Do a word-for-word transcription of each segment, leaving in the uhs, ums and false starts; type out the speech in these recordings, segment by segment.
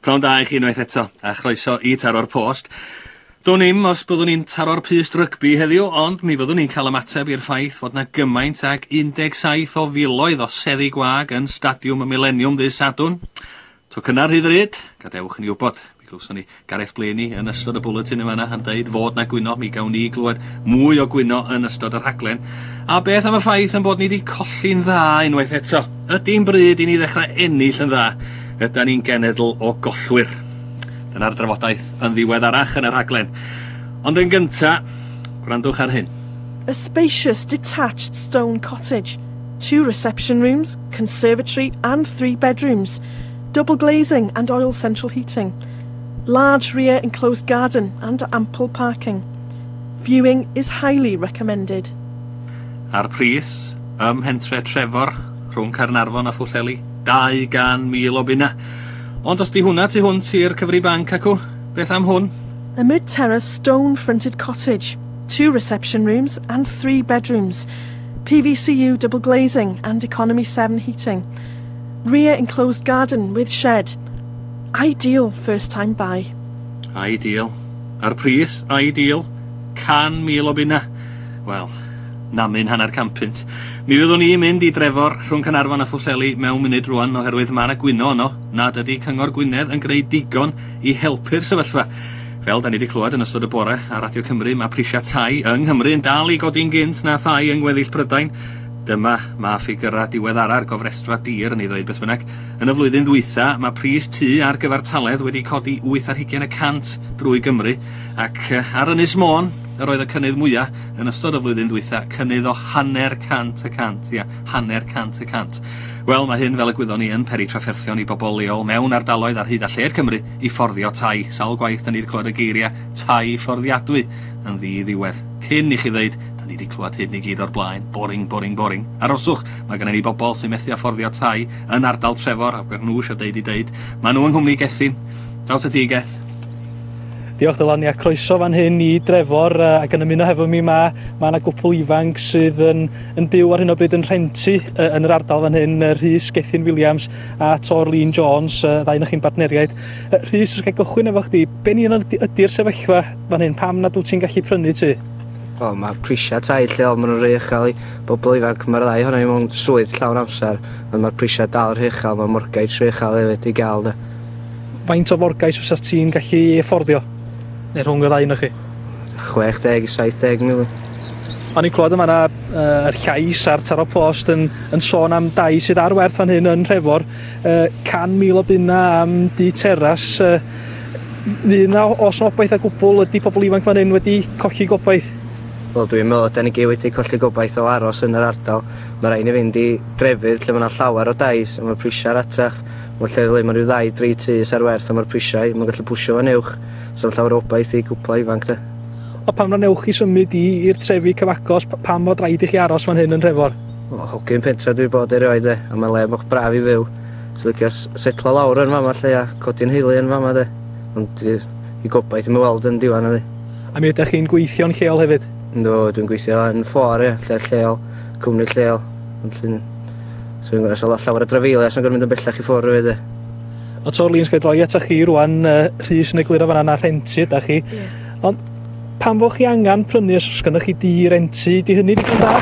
Pnawn da i chi unwaith eto, a chroeso i Taro'r Post. Dwn i'm os byddwn ni'n taro'r pyst rygbi heddiw, ond mi fyddwn ni'n cael ymateb i'r ffaith fod 'na gymaint ag un deg saith o filoedd o seddi gwag yn Stadiwm y Mileniwm ddydd Sadwrn. Tocynnau rhy ddrud? Gadewch i ni wybod. Mi glywson ni Gareth Blaney yn ystod y bwletin yn fan'na yn deud fod 'na gwyno. Mi gawn ni glywed mwy o gwyno yn ystod y rhaglen. A beth am y ffaith ein bod ni wedi colli'n dda unwaith eto? Ydy'n bryd i ni ddechrau ennill yn dda? Ydan ni'n genedl o gollwyr? Dyna'r drafodaeth yn ddiweddarach yn y rhaglen. Ond yn gynta, gwrandwch ar hyn. A spacious detached stone cottage, two reception rooms, conservatory and three bedrooms, double glazing and oil central heating, large rear enclosed garden and ample parking. Viewing is highly recommended. A'r pris ym mhentre Trefor rhwng Caernarfon a Phwllheli, dau gan mil o bunna. Ond os di hwnna tu hwnt i'r cyfri banc acw, beth am hwn? A mid-terrace stone-fronted cottage, two reception rooms and three bedrooms, P V C U double glazing and economy seven heating, rear enclosed garden with shed. Ideal first time buy. Ideal. A'r pris, ideal. Can mil o bunna. Wel, namyn hanner can punt. Mi fyddwn ni'n mynd i Drefor rhwng Caernarfon a Phwllheli mewn munud rwan oherwydd ma' 'na gwyno yno nad ydy Cyngor Gwynedd yn gwneud digon i helpu'r sefyllfa. Fel da ni wedi clywed yn ystod y bore ar Radio Cymru, mae prisiau tai yng Nghymru yn dal i godi'n gynt na thai yng ngweddill Prydain. Dyma mae ffigurau diweddara'r gofrestrfa dir yn ei ddweud beth bynnag. Yn y flwyddyn ddwytha, mae pris tŷ ar gyfartaledd wedi codi wyth ar hugain y cant drwy Gymru, ac ar Ynys Môn yr oedd y cynnydd mwyaf yn ystod y flwyddyn ddwytha, cynnydd o hanner cant y cant, ia, hanner cant y cant. Wel, mae hyn, fel y gwyddon ni, yn peri trafferthion i bobl leol mewn ardaloedd ar hyd a lled Cymru i fforddio tai. Sawl gwaith da ni wedi clywed y geiriau tai fforddiadwy yn ddi-ddiwedd. Cyn i chi ddeud, da ni wedi clywed hyn i gyd o'r blaen, boring, boring, boring. Aroswch, mae gennym ni bobl sy'n methu â fforddio tai yn ardal Trefor, ac nhw eisiau deud i deud, maen nhw yng nghwmni Gethin. Draw at ti, Geth. Diolch Dylan, ia, croeso fan hyn i Drefor, uh, ac yn ymuno hefo mi ma, ma' 'na gwpl ifanc sydd yn, yn byw ar hyn o bryd yn rhentu uh, yn yr ardal fan hyn, uh, Rhys Gethin Williams a Torlin Jones, uh, ddau o'ch chi'n bartneriaid. Uh, Rhys, os gael gychwyn efo chdi, be ni ydy'r sefyllfa fan hyn, pam nad wyt ti'n gallu prynu tŷ? O, mae prisiau tai lleol, maen nhw'n rhy uchel i bobl ifanc, mae'r ddau ohono ni mewn swydd llawn amser, ond mae'r prisiau dal rhy uchel, mae morgais rhy uchel hefyd i gael. De. Faint o forgais fysa ti'n gallu fforddio? Neu rhwng y ddau ohonoch chi? chwech deg i saith deg mil. O'n i'n clywed yma na uh, yr llais a'r Taro Post yn, yn sôn am dai sydd ar werth fan hyn yn Nhrefor, uh, can mil o bunna am dŷ teras. Uh, fydd na os na obaith o gwbl, ydy pobl ifanc fan hyn wedi colli gobaith? Wel, dwi'n meddwl da ni gyd wedi colli gobaith o aros yn yr ardal. Mae rhaid ni fynd i drefydd lle mae yna llawer o dai, a mae'r prisiau ratach. Mae lle le mae rhyw ddau, dri tŷ ar werth, a mae'r prisiau, mae'n gallu pwsio fo'n uwch. So mae llawer o obaith i gwpla ifanc, de. O pam na newch chi symud i i'r trefi cyfagos, pam fod rhaid i chi aros fan hyn yn Nhrefor? O, hogyn pentra dwi bod erioed, de, a mae le mor braf i fyw. So licio setlo lawr yn fama lle a codi'n heulu yn fama, de. Ond i, i gobaith i'm weld yn diwan, ydy. A mi ydych chi'n gweithio'n lleol hefyd? Yndw, dwi'n gweithio yn ffor, ie, lle lleol, cwmni lleol. Ond llun... So dwi'n gorfod llawer o drafeilio, so dwi'n gorfod mynd yn bellach i ffwrdd hefyd, de. O Torlin, sgai droi atoch chi rwan, uh, Rhys yn egluro fan'na na rhentu ydach chi. Yeah. Ond pam fo chi angen prynu os oes gennych chi dŷ rentu, di hynny digon da?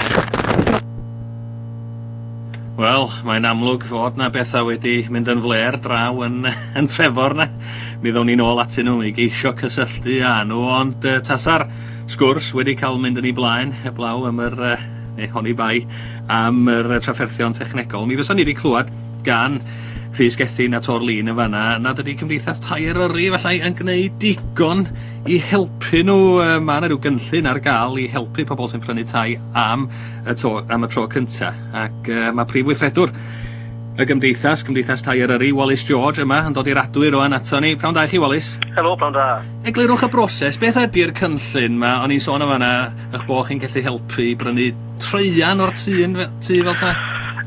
Wel, mae'n amlwg fod na bethau wedi mynd yn flêr draw yn, yn Trefor na. Mi ddown ni'n ôl atyn nhw i geisio cysylltu â nhw, ond uh, tasa'r sgwrs wedi cael mynd yn ei blaen, heblaw am yr, uh, neu honni bai, am yr trafferthion technegol. Mi fysa ni wedi clywed gan Rhys Gethin a Torlin yn fanna nad ydy Cymdeithas Tai Eryri efallai yn gwneud digon i helpu nhw. Mae yna rhyw gynllun ar gael i helpu pobl sy'n prynu tai am y, to, am y tro cynta. Ac uh, mae prif weithredwr y Gymdeithas, Cymdeithas Tai Eryri, Wallace George yma, yn dod i'r adwy rwan ato ni. Pnawn da i chi, Wallace. Helo, pnawn da. Eglurwch y broses, beth ydy'r cynllun ma? O'n i'n sôn o fanna eich bod chi'n gallu helpu i brynu traean o'r tŷ, tŷ fel ta?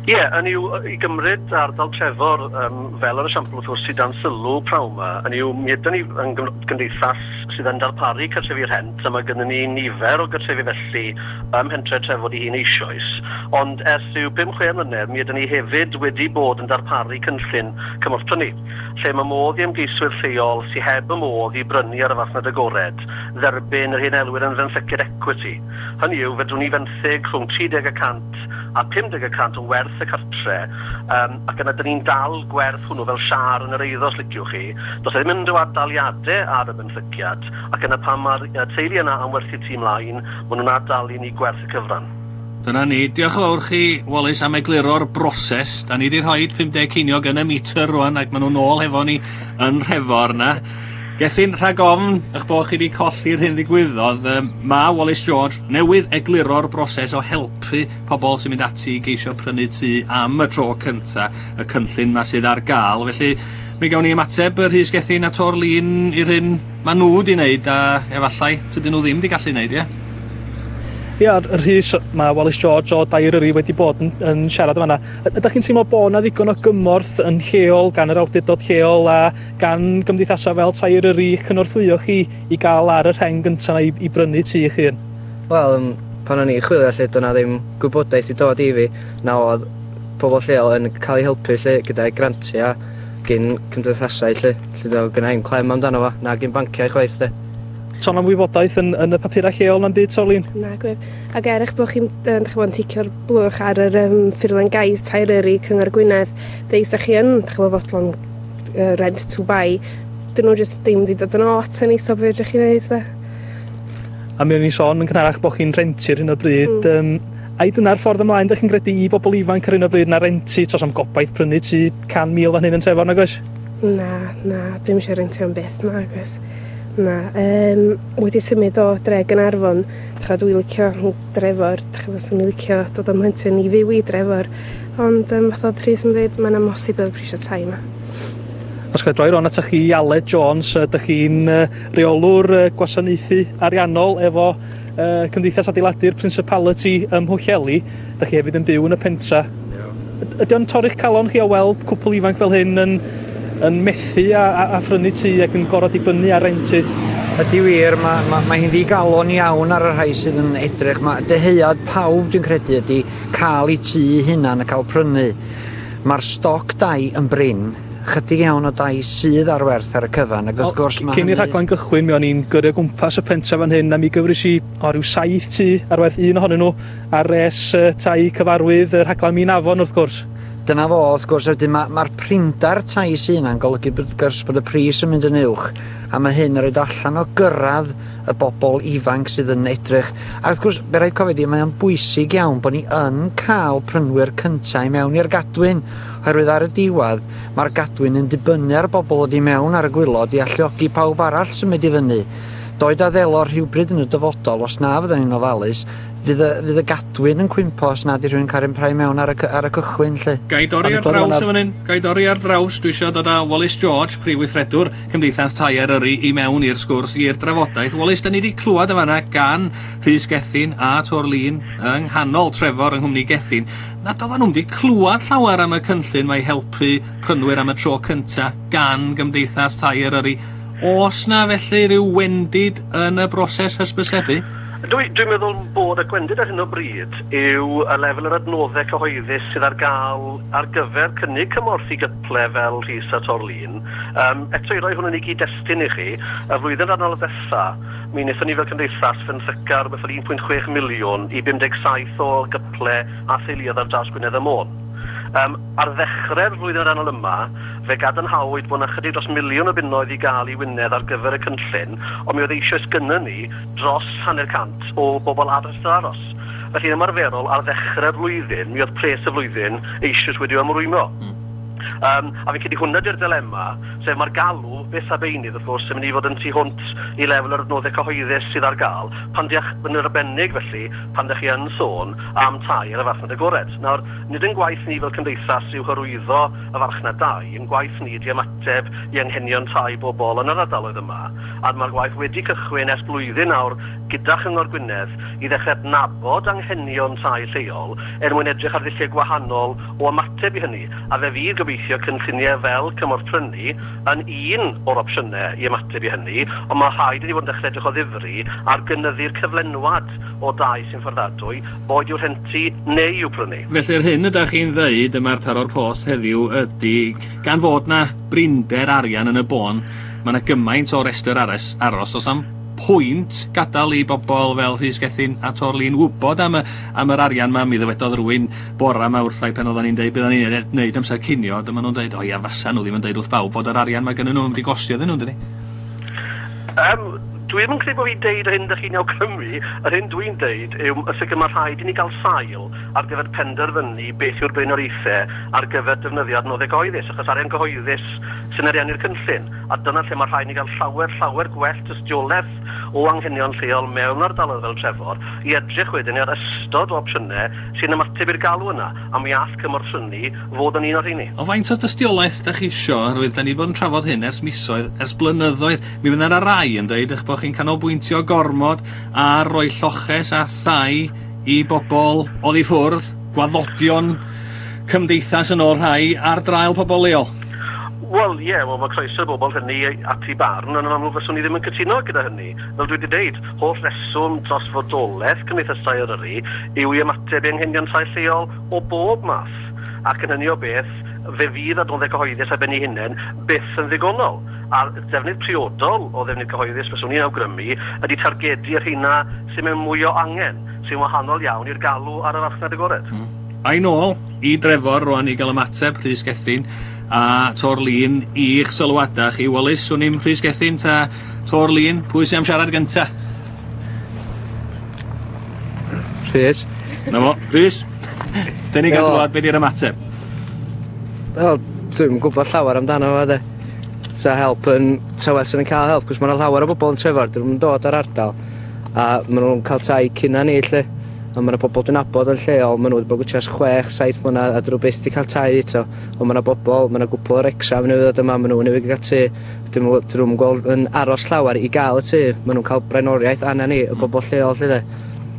Ie, yeah, yn yw, i gymryd ardal Trefor um, fel yr esiampl wrth gwrs sydd dan sylw prawn 'ma, yn yw, mi ydyn ni yn gymdeithas sydd yn darparu cartrefi rhent, a mae gennym ni nifer o gartrefi felly ym mhentre Trefor ei hun eisoes, ond ers rhyw bum chwe mlynedd mi ydyn ni hefyd wedi bod yn darparu cynllun cymorth prynu, lle mae modd i ymgeiswyr lleol sydd heb y modd i brynu ar y farchnad agored dderbyn yr hyn elwir yn fenthyciad equity. Hynny yw, fedrwn ni fenthyg rhwng tri deg y cant a pum deg y cant o werth y cartre, um, ac yna dyn ni'n dal gwerth hwnnw fel siâr yn yr eiddo, os liciwch chi. Does e ddim unrhyw ad-daliadau ar y benthyciad, ac yna pan mae'r teulu yna am werthu tŷ mlaen, maen nhw'n ad-dalu ni gwerth y cyfran. Dyna ni. Diolch yn fawr chi, Wallace, am egluro'r broses. Da ni wedi rhoi pum deg ceiniog yn y meter rwan, ac maen nhw'n ôl hefo ni yn Nhrefor na. Gethin, rhag ofn eich bod chi wedi colli'r hyn ddigwyddodd, um, mae Wallace George newydd egluro'r broses o helpu pobl sy'n mynd ati i geisio prynu tŷ am y tro cynta, y cynllun ma sydd ar gael. Felly, mi gawn ni ymateb y Rhys Gethin a Torlin i'r hyn maen nhw wedi wneud, a efallai tydyn nhw ddim wedi gallu wneud, ie? Ia, Rhys, mae Wallace George o Dai Eryri wedi bod yn, yn siarad yma. Ydych chi'n teimlo bod yna ddigon o gymorth yn lleol gan yr awdurdod lleol a gan gymdeithasau fel Tai Eryri i'ch cynorthwyo chi i gael ar y rheng gyntaf yna i, i brynu tŷ eich hun? Wel, um, pan o'n i'n chwilio lle, doedd 'na ddim gwybodaeth i dod i fi, na oedd pobl lleol yn cael eu helpu lle gyda'i grantiau gyn cymdeithasau lle, lle doedd gynna i'm clem amdano fo, na gyn banciau chwaith lle. Sôn am wybodaeth yn, yn y papurau lleol na'n byd, Torlin? Na, gwir. Ac er eich bod chi'n uh, ticio'r blwch ar yr um, ffurflen gais Tai Eryri Cyngor Gwynedd, deis da chi yn, dych chi'n fodlon uh, rent to buy, dyn nhw jyst ddim wedi dod yn ôl ato ni, so be ydych chi'n neud, de? A mi o'n i'n sôn yn gynharach bod chi'n rentu ar hyn o bryd. Mm. Um, ai dyna'r ffordd ymlaen, dych chi'n credu i bobl ifanc ar hyn o bryd na rentu, tos am gobaith prynu tŷ can mil fan hyn yn Trefor, nag oes? Na, na, dwi'm eisiau rentio am byth, na, oes. Na, um, wedi symud o dre Gaernarfon, dych dwi'n licio Drefor, dych chi'n i'n licio dod â mhlentyn i fyw i Drefor, ond um, fath oedd Rhys yn dweud, mae'n amhosib efo prisio tai yma. Os gael droi rôn atoch chi, Aled Jones, ydych chi'n reolwr gwasanaethu ariannol efo uh, Cymdeithas Adeiladu'r Principality ym Mhwllheli. Ydych chi hefyd yn byw yn y pentra. Ydy o'n torri'ch calon chi o weld cwpl ifanc fel hyn yn yn methu a, a, a phrynu tŷ ac yn gorfod dibynnu ar rentu? Ydy wir, mae, mae, mae hi'n ddigalon iawn ar y rhai sydd yn edrych. Mae dyhead pawb dwi'n credu ydy cael eu tŷ hunan a cael prynu. Mae'r stoc dai yn brin, chydig iawn o dai sydd ar werth ar y cyfan. Ac wrth gwrs mae cyn i'r rhaglen gychwyn, mi o'n i'n gyrru o gwmpas y pentref fan hyn a mi gyfres i o ryw saith tŷ ar werth, un ohonyn nhw ar res uh, tai cyfarwydd, y rhaglen Min Afon wrth gwrs. Dyna fo, wrth gwrs, wedyn mae'r ma prinder tai sy'n yna'n golygu wrth gwrs bod y pris yn mynd yn uwch, a mae hyn yn rhoi allan o gyrraedd y bobl ifanc sydd yn edrych. A wrth gwrs, be rhaid cofio di, mae o'n bwysig iawn bod ni yn cael prynwyr cyntaf i mewn i'r gadwyn, oherwydd ar y diwedd mae'r gadwyn yn dibynnu ar bobl o di mewn ar y gwaelod i alluogi pawb arall symud i fyny. Doed a ddelo rhywbryd yn y dyfodol, os na fydden ni'n ofalus, fydd y, fydd y gadwyn yn cwympo os nad i rhywun cael ei mewn ar y, ar y cychwyn, lle. Gai dorri ar draws yn fan hyn, gai dorri ar draws. Dwi eisiau dod â Wallace George, prif weithredwr Cymdeithas Tai Eryri, i mewn i'r sgwrs, i'r drafodaeth. Wallace, da ni wedi clywed yn fanna gan Rhys Gethin a Torlin yng nghanol Trefor yng nghwmni Gethin, nad oedden nhw'n wedi clywed llawer am y cynllun mae helpu prynwyr am y tro cynta gan Gymdeithas Tai Eryri. Oes na felly rhyw wendid yn y broses hysbysebu? Dwi'n dwi meddwl bod y gwendid ar hyn o bryd yw y lefel yr adnoddau cyhoeddus sydd ar gael ar gyfer cynnig cymorth i gyple fel Rhys a Torlin. Um, eto i roi hwn yn ei gyd-destun i chi, y flwyddyn ariannol ddesa, mi wnaethon ni fel cymdeithas fenthyca rhywbeth fel un pwynt chwech miliwn i bum deg saith o gyple a theuluoedd ar draws Gwynedd a Môn. Um, ar ddechrau'r flwyddyn ariannol yma, fe gadarnhawyd bod yna chydig dros miliwn o bunnoedd i gael i Wynedd ar gyfer y cynllun, ond mi oedd eisoes gynnon ni dros hanner cant o bobl ar restr aros. Felly yn ymarferol, ar ddechrau'r flwyddyn, mi oedd pres y flwyddyn eisoes wedi ymrwymo. Mm. Um, a fi'n credu hwnna di'r dilema, sef mae'r galw, beth a beunydd wrth gwrs, yn mynd i fod yn tu hwnt i lefel yr adnoddau cyhoeddus sydd ar gael, pan diach yn arbennig felly, pan dych chi yn sôn am tai ar y farchnad agored. Nawr, nid yn gwaith ni fel cymdeithas yw hyrwyddo y farchnad dai, yn gwaith ni ydi ymateb i anghenion tai bobl yn yr ardaloedd yma, A mae'r gwaith wedi cychwyn ers blwyddyn nawr gyda Chyngor Gwynedd i ddechrau adnabod anghenion tai lleol er mwyn edrych ar ddulliau gwahanol o ymateb i hynny. A fe fydd gobeithio cynlluniau fel cymorth prynu yn un o'r opsiynau i ymateb i hynny, ond mae rhaid i ni fod yn dechrau edrych o ddifri ar gynyddu'r cyflenwad o dai sy'n fforddadwy, boed i'w rhentu neu i'w prynu. Felly'r hyn ydych chi'n ddeud yma'r Taro'r Post heddiw ydy, gan fod na brinder arian yn y bôn, mae yna gymaint o restr aros, aros does am pwynt gadael i bobl fel Rhys Gethin a Torlin wybod am, y, am yr arian ma. Mi ddywedodd rhywun bora yma wrthai pan oedden ni'n deud bydden ni'n neud amser cinio, dyma nhw'n deud, o ia, fasa nhw ddim yn deud wrth bawb fod yr arian ma gynnyn nhw yn mynd i gostio iddyn nhw, dydy? Um, dwi ddim yn credu bod fi'n deud yr hyn ydych chi'n awgrymu. Yr hyn dwi'n deud yw y sicr mae rhaid i ni gael sail ar gyfer penderfynu beth yw'r blaenoriaethau ar gyfer defnyddio adnoddau cyhoeddus, achos arian cyhoeddus sy'n ariannu'r cynllun. A dyna lle mae rhaid i ni gael llawer, llawer gwell tystiolaeth o anghenion lleol mewn ardaloedd fel Trefor i edrych wedyn ar ystod o opsiynau sy'n ymateb i'r galw yna, a mi all cymorth prynu fod yn un o'r rheini. O faint o dystiolaeth da chi isio, oherwydd da ni wedi bod yn trafod hyn ers misoedd, ers blynyddoedd. Mi fydd yna rai yn dweud eich bod chi'n canolbwyntio gormod ar roi lloches a thai i bobl oddi ffwrdd, gwaddodion cymdeithas yn ôl rhai, ar draul pobl leol. Wel, ie, yeah, well, mae croeso i bobl hynny at ei barn, ond yn amlwg fyswn i ddim yn cytuno gyda hynny. Fel dwi wedi deud, holl reswm dros fodolaeth Cymdeithas Tai Eryri yw i ymateb i anghenion tai lleol o bob math. Ac yn hynny o beth, fe fydd adnoddau cyhoeddus ar ben ei hunain byth yn ddigonol. A'r defnydd priodol o ddefnydd cyhoeddus fyswn i'n awgrymu ydy targedu'r rheina sy'n mewn mwy o angen, sy'n wahanol iawn i'r galw ar y farchnad agored. Mm. A'i nôl i Drefor rwan i gael ymateb Rhys Gethin a Torlin i'ch sylwadau chi. Wallace, swn i'm Rhys Gethin ta Torlin, pwy sy'n am siarad gynta? Rhys. Na fo, Rhys. Dyn ni gael glwad be di'r ymateb. Wel, dwi'm yn gwybod llawer amdano fo, de. Sa help yn, sa well sy'n cael help, cos mae yna llawer o bobl yn Trefor, dyn nhw'n dod ar ardal, a maen nhw'n cael tai cynna ni, lle. A mae yna bobl dwi'n nabod yn lleol, maen nhw wedi bod gwchas chwech, saith mlynedd, a dyn nhw byth wedi cael tai eto. Ond mae yna bobl, mae yna gwpl o'r Wrecsam newydd ddod yma, maen nhw newydd gael tŷ. Dyn nhw'n gweld yn aros llawer i gael y tŷ. Maen nhw'n cael blaenoriaeth anna ni, y bobl lleol, lle de.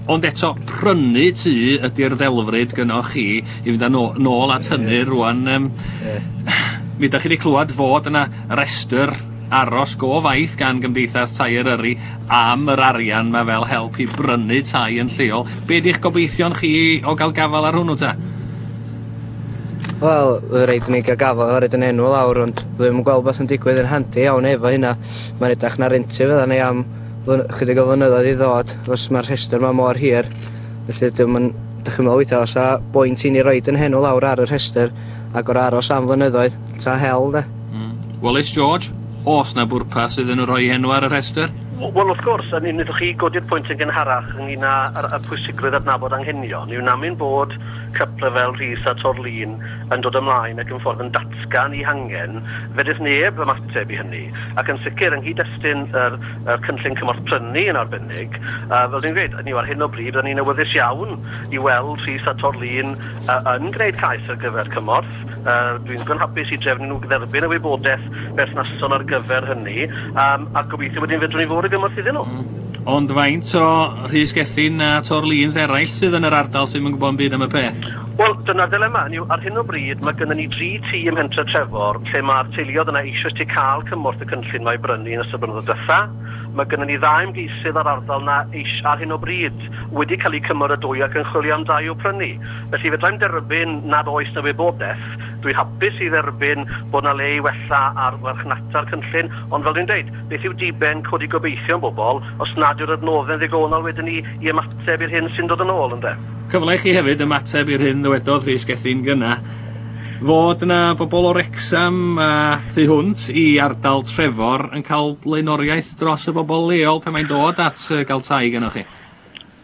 Ond eto, prynu tŷ ydy'r ddelfryd gynnoch chi i fynd â nôl at hynny rwan. Um, yeah. Mi ydych chi wedi clywed fod yna restr aros go faith gan Gymdeithas Tai Eryri am yr arian ma fel help i brynu tai yn lleol. Be di'ch gobeithion chi o gael gafal ar hwnnw ta? Wel, rhaid i ni gael gafal ar yn enw lawr, ond ddim yn gweld beth yn digwydd yn handi iawn efo hynna. Mae'n edrych na rentu fydda ni am chydig o flynyddoedd i ddod, os mae'r rhestr ma mor hir. Felly dwi'm yn, dych chi'n meddwl weithiau, os a boint i ni roid yn henw lawr ar y rhestr ac o'r aros am flynyddoedd, ta hel de. Mm. Wallace George, oes na bwrpas iddyn nhw roi enw ar y rhestr? Wel, wrth gwrs, a wnaethoch chi godi'r pwynt yn gynharach ynglyn â y pwysigrwydd adnabod anghenion, yw namyn bod cyple fel Rhys a Torlin yn dod ymlaen ac yn ffordd yn datgan eu hangen, fedrith neb ymateb i hynny. Ac yn sicr, yng nghyd-destun yr, yr cynllun cymorth prynu yn arbennig, uh, fel dwi'n gweud, ni ar hyn o bryd, rydyn ni'n awyddus iawn i weld Rhys a Torlin uh, yn gwneud cais ar gyfer cymorth. Uh, dwi'n ddigon hapus i drefnu nhw dderbyn y wybodaeth berthnasol ar gyfer hynny, um, a gobeithio wedyn fedrwn ni fod y gymorth iddyn nhw. Mm. Ond faint o Rhys Gethin a Torlins eraill sydd yn yr ardal sydd yn gwybod yn byd am y peth? Wel, dyna'r dilema. Ar hyn o bryd, mae gennym ni dri tŷ ym Mhentre Trefor lle mae'r teuluoedd yna eisoes wedi cael cymorth y cynllun mae brynu yn ystod blynyddoedd diwetha. Mae gennym ni ddau ymgeisydd ar ardal na eis ar hyn o bryd wedi cael eu cymeradwyo ac yn chwilio am dai i'w prynu. Felly fedrai'm derbyn nad oes na wybodaeth. Dwi'n hapus i dderbyn bod na le i wella ar farchnata'r cynllun, ond fel dwi'n deud, beth yw diben codi gobeithio yn bobl os nad yw'r adnoddau'n ddigonol wedyn ni i ymateb i'r hyn sy'n dod yn ôl, ynde? Cyfle i chi hefyd ymateb i'r hyn ddywedodd Rhys Gethin gynna, fod yna bobl o Wrecsam a thu hwnt i ardal Trefor yn cael blaenoriaeth dros y bobl leol pan mae'n dod at gael tai gynnoch chi.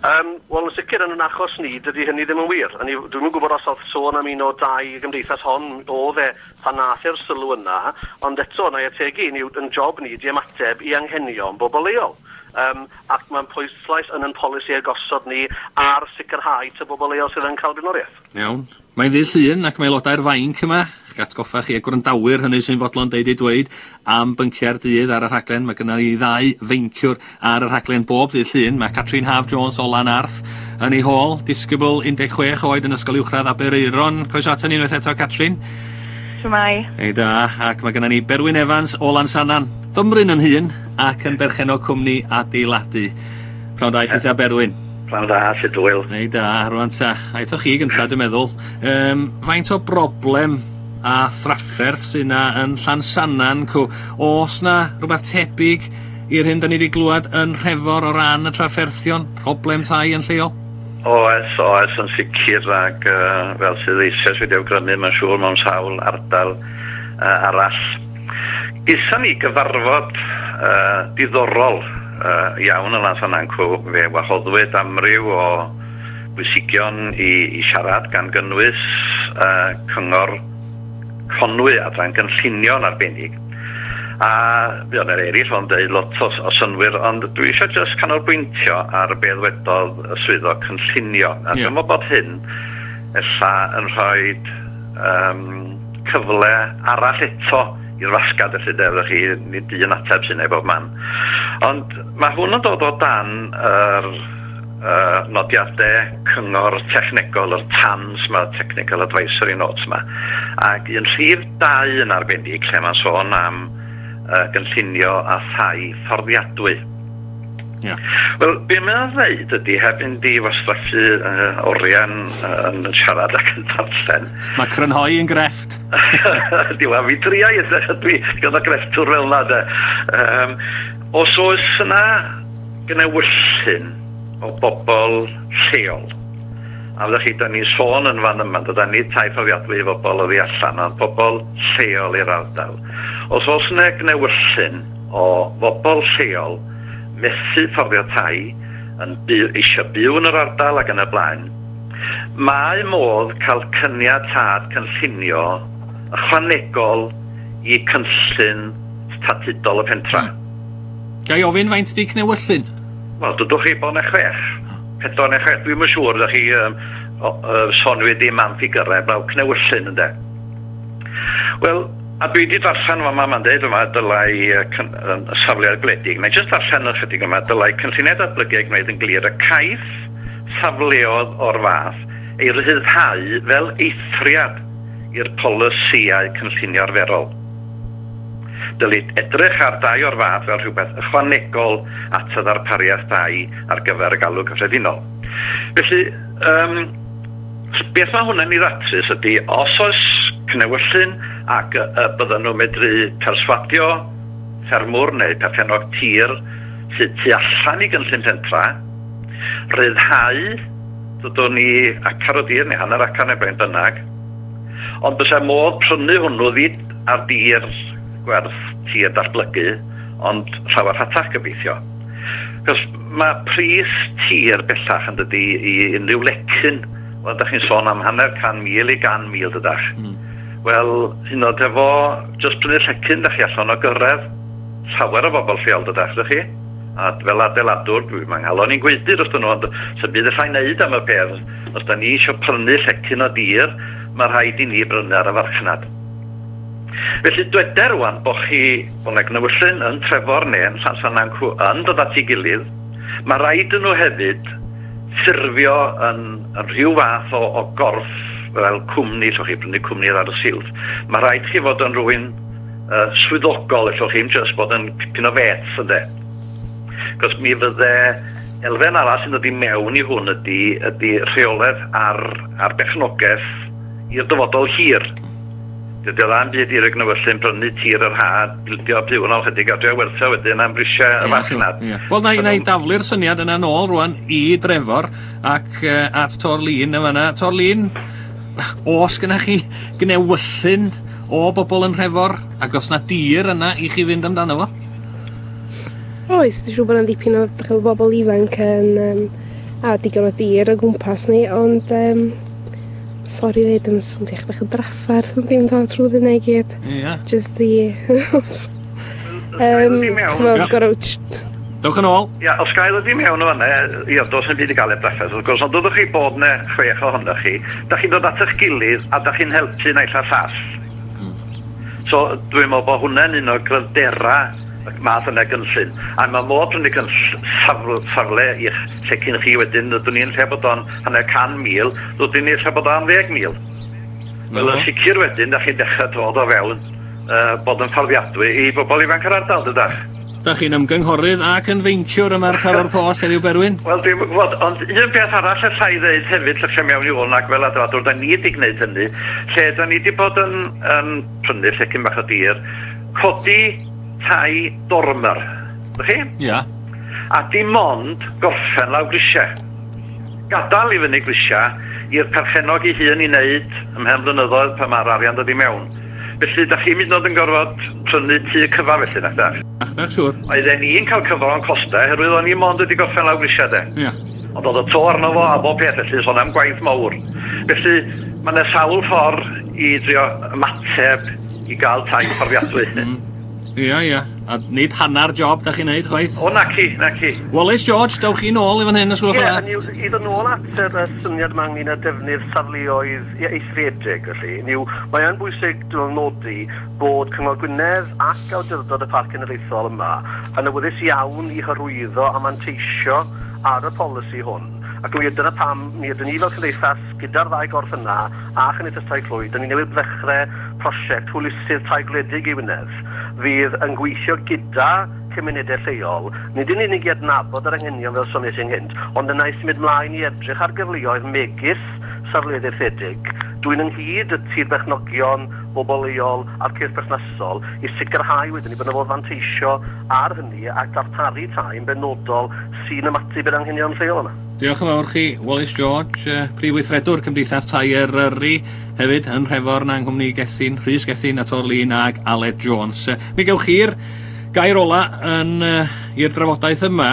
Um, Wel, yn sicr yn yn achos ni, dydy hynny ddim yn wir. Dwi'm yn gwybod os oedd sôn am un o dau gymdeithas hon oedd e pan nath e'r sylw yna, ond eto, na i ategu, ni, yn job ni di ymateb i anghenion bobl leol. um, ac mae'n pwyslais yn yn polisi a gosod ni ar sicrhau ta bobl leol sydd yn cael blaenoriaeth. Iawn. Mae'n ddydd Llun ac mae aelodau'r fainc yma, eich atgoffa chi a gwrandawyr hynny sy'n fodlon deud eu dweud am bynciau'r dydd ar y rhaglen. Mae gynna ni ddau feinciwr ar y rhaglen bob dydd Llun. Mae Catrin Haf Jones o Lanarth yn ei hôl, disgybl un deg chwech oed yn Ysgol Uwchradd Aberaeron. Croeso aton ni unwaith eto, Catrin. Shwmae. Ei da, ac mae gynna ni Berwyn Evans o Lansannan, fymryn yn hŷn ac yn berchennog cwmni adeiladu. Pnawn da i chithia Berwyn. Pnawn da, sut wyl. Ei da, rwan ta. A eto chi gynta, dwi'n meddwl. Um, faint o broblem a thrafferth sy'n na yn Llansannan, cw? Oes na rhywbeth tebyg i'r hyn da ni wedi glwad yn Nhrefor o ran y trafferthion, problem tai yn lleol? Oes, oes, yn sicr, ac uh, fel sydd eisoes wedi awgrymu, mae'n siŵr mewn sawl ardal uh, arall. Geson ni gyfarfod uh, diddorol uh, iawn yn Llansannan cw, fe wahoddwyd amryw o bwysigion i, i siarad gan gynnwys uh, Cyngor Conwy adran gynllunio'n arbennig. A fuodd yna eraill o'n deud lot o, o synwyr, ond dwi eisiau just canolbwyntio ar be ddwedodd y swyddog cynllunio. A yeah. Dwi'n meddwl bod hyn ella yn rhoi um, cyfle arall eto i'r fasgad, felly de, chi, nid un ateb sy'n ei bob man. Ond mae hwn yn dod o dan yr uh, nodiadau cyngor technegol, yr TANs ma, Technical Advisory Notes ma. Ac un rhif dau yn arbennig, lle mae'n sôn am uh, gynllunio a thai fforddiadwy. Yeah. Wel, be mae'n dweud ydy, heb fynd i wastraffu uh, oriau'n uh, yn siarad ac yn darllen. Mae crynhoi yn grefft. Diwa, fi dria i dwi gyda grefftwr fel yna, de. Um, os oes yna gnewyllyn o bobl lleol, a fyddwch chi, da ni'n sôn yn fan yma, da ni tai fforddiadwy i bobl oddi allan, ond pobl lleol i'r ardal. Os oes yna gnewyllyn o bobl lleol methu fforddio tai, yn byw, eisiau byw yn yr ardal ac yn y blaen, mae modd cael cyniatâd cynllunio ychwanegol i cynllun statudol y pentra. Hmm. Ga i ofyn faint di cnewyllyn? Wel, dydwch chi bod na chwech. Pedwar neu chwech, dwi'm yn siŵr, ydych chi um, uh, sonwyd ddim am ffigyrau, blaw cnewyllyn ynde. Wel, a dwi wedi darllen yma, mae'n dweud yma, dylai uh, safleoedd gwledig. Neu jyst darllen ychydig yma, dylai cynlluniau datblygu ei gwneud yn glir y caiff safleoedd o'r fath ei ryddhau fel eithriad i'r polisïau cynllunio arferol. Dylid edrych ar dai o'r fath fel rhywbeth ychwanegol at y ddarpariaeth dai ar gyfer y galw cyffredinol. Felly, um, beth mae hwnna'n ei ddatrys ydy, os oes cnewyllyn ac y, y bydden nhw'n medru perswadio ffermwr neu perchennog tir sydd tu allan i gynllun pentra, ryddhau, dydwn ni acar o dir neu hanner acar neu brain bynnag, ond bysa modd prynu hwnnw ddid ar dir gwerth tir datblygu, ond llawer rhatach gobeithio. Cos mae pris tir bellach yn dydi i unrhyw lecyn, wel, da chi'n sôn am hanner can mil i gan mil dydach. Mm. Wel, hyn oed efo jyst prynu llecyn, da chi allan o gyrraedd llawer o bobl lleol dydach, dych chi? A fel adeiladwr, dwi'n manghalon i'n gweithio dros nhw, ond sy'n byd allai wneud am y peth. Os da ni eisiau prynu llecyn o dir, mae rhaid i ni brynu ar y farchnad. Felly dweder rwan bo chi, bo na gnewyllyn yn Trefor neu yn Llansannan cw yn dod at ei gilydd, mae rhaid nhw hefyd ffurfio yn, yn rhyw fath o, o gorff fel cwmni, llwch chi brynu cwmni ar y silff. Mae rhaid chi fod yn rhywun uh, swyddogol, llwch chi'n just bod yn pipyn o fets ynde. Cos mi fydde elfen arall sy'n dod i mewn i hwn ydy, ydy rheolaeth ar, ar berchnogaeth i'r dyfodol hir. Dydy o dda'n byd i'r gnewyllyn prynu tir yr ha, bildio byw yn ôl chydig a drio werthu wedyn am brisiau y farchnad. Wel, na i, na i daflu'r syniad yna nôl rwan i Drefor ac uh, at Torlun yn fan'na. Torlun, oes gynna chi gnewyllyn o bobl yn Nhrefor ac os na dir yna i chi fynd amdano fo? Oes, dwi'n siŵr bod yna ddipyn o dych chi'n bobl ifanc yn, um, a digon o dir o gwmpas ni, ond um, sori ddeud, yn swnio bach o drafferth yn ddim dod trwy hynna i gyd. Ie. Just the... um, ch'mod, gorfod... Dewch yn ôl. Ia, os gael ydi mewn o fanna, ia, does na'm byd i gael heb drafferth, wrth gwrs, ond dodwch chi bod 'ne chwech ohonoch chi, da chi'n dod at eich gilydd a da chi'n helpu naill a'r llall. Mm. So dwi'n meddwl bod hwnna'n un o gryfdera y math yna gynllun. A mae modd prynu cynll- safle, safle i'ch llecyn chi wedyn, ydyn ni'n lle bod o'n hanner can mil, rydyn ni'n lle bod o'n ddeg mil. Wel, yn sicr wedyn, da chi'n dechrau dod o fewn uh, bod yn fforddiadwy i bobl ifanc yr ardal, dydach? Da chi'n ymgynghorydd ac yn feinciwr yma ar Taro'r Post heddiw, Berwyn? Wel, dwi'n gwybod, ond un peth arall allai ddeud hefyd, llycio mewn i hwn ac fel adeiladwr, da ni wedi gwneud hynny, lle da ni wedi bod yn, yn prynu llecyn bach o dir, codi tai dormer, ydych chi? Ia. A dim ond gorffen lawr grisiau. Gadael i fyny grisiau i'r perchennog ei hun i wneud ymhen blynyddoedd pan mae'r arian dod i mewn. Felly, da chi'n mynd yn gorfod prynu tŷ cyfa felly, nac da? Ach, da, siŵr. Oedden ni'n cael cyfro o'n costau, oherwydd o'n i mond wedi gorffen lawr grisiau de. Ia. Ond oedd y to arno fo a bob peth felly, sôn am gwaith mawr. Felly, mae yna sawl ffordd i drio ymateb i gael tai fforddiadwy. Mm. Ia, ia. A nid hannar job da chi'n neud, chwaith. O, naci, naci. Wallace George, dewch chi nôl i fan hyn, os gwelwch Ie, yn dda. hynny yw, i ddod nôl at yr y syniad yma ynglyn â defnydd safleoedd ie, eithriedig, felly. Hynny yw, mae yn bwysig dwi'n nodi bod Cyngor Gwynedd ac Awdurdod y Parc Cenedlaethol yma yn awyddus iawn i hyrwyddo a manteisio ar y polisi hwn. Ac mi dyna pam mi ydyn ni fel cymdeithas gyda'r ddau gorff yna a Chymdeithas Tai Clwyd, dyn ni newydd ddechrau prosiect hwylusydd tai gwledig i Wynedd fydd yn gweithio gyda cymunedau lleol, nid yn unig i adnabod yr anghenion fel soniais ynghynt, ond yna i symud mlaen i edrych ar gyfleoedd megis safleoedd eithriedig, dwyn ynghyd y tir berchnogion, bobl leol a'r cyrff perthnasol i sicrhau wedyn ni bod yna fodd fanteisio ar hynny a darparu tai yn benodol sy'n ymateb i'r anghenion lleol yna. Diolch yn fawr chi, Wallace George, uh, Prif Weithredwr Cymdeithas Tai Eryri, hefyd yn Nhrefor yng nghwmni Gethin, Rhys Gethin a Torlin ag Aled Jones. Uh, mi gewch chi'r gair ola yn uh, i'r drafodaeth yma,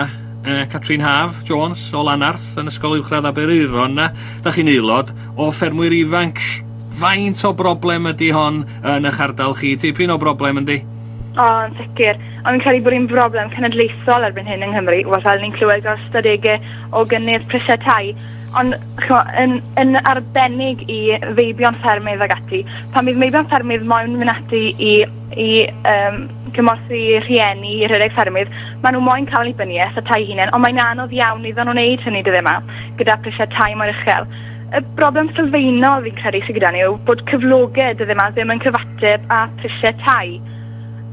uh, Catrin Haf Jones o Lanarth yn Ysgol Uwchradd Aberaeron. Da chi'n aelod o ffermwyr ifanc. Faint o broblem ydy hon yn eich ardal chi? Tipyn o broblem yndi? O, yn sicr. Ond fi'n credu bod hi'n broblem cenedlaethol erbyn hyn yng Nghymru. Wel, fel ni'n clywed o'r ystadegau o gynnydd prisiau tai. Ond ch'mo, yn, yn arbennig i feibion ffermydd ag ati. Pan bydd meibion ffermydd moyn mynd ati i, i um, cymorthu rhieni i rhedeg ffermydd, maen nhw moyn cael annibyniaeth a tai hunain, ond mae'n anodd iawn iddyn nhw wneud hynny dyddiau yma, gyda prisiau tai mor uchel. Y broblem sylfaenol fi'n credu sydd gyda ni yw bod cyflogau dyddiau yma ddim yn cyfateb â prisiau tai.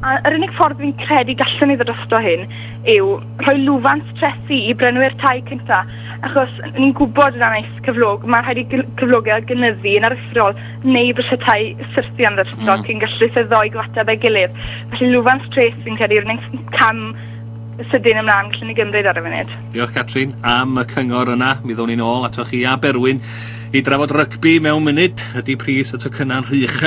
A yr unig ffordd fi'n credu gallwn ni ddod drosto hyn yw rhoi lwfans trethi i brynwyr tai cynta, achos ni'n gwybod yn anaeth cyflog, mae rhaid i gyl- cyflogau gynyddu yn aruthrol neu brisiau tai syrthio'n aruthrol Mm. cyn gallu y ddou gyfateb ei gilydd. Felly lwfans treth fi'n credu yw'r unig cam sydyn ymlaen gallwn ni gymryd ar y funud. Diolch Catrin am y cyngor yna. Mi ddown ni'n ôl atoch chi a Berwyn i drafod rygbi mewn munud. Ydy pris y tocynnau'n rhy uchel?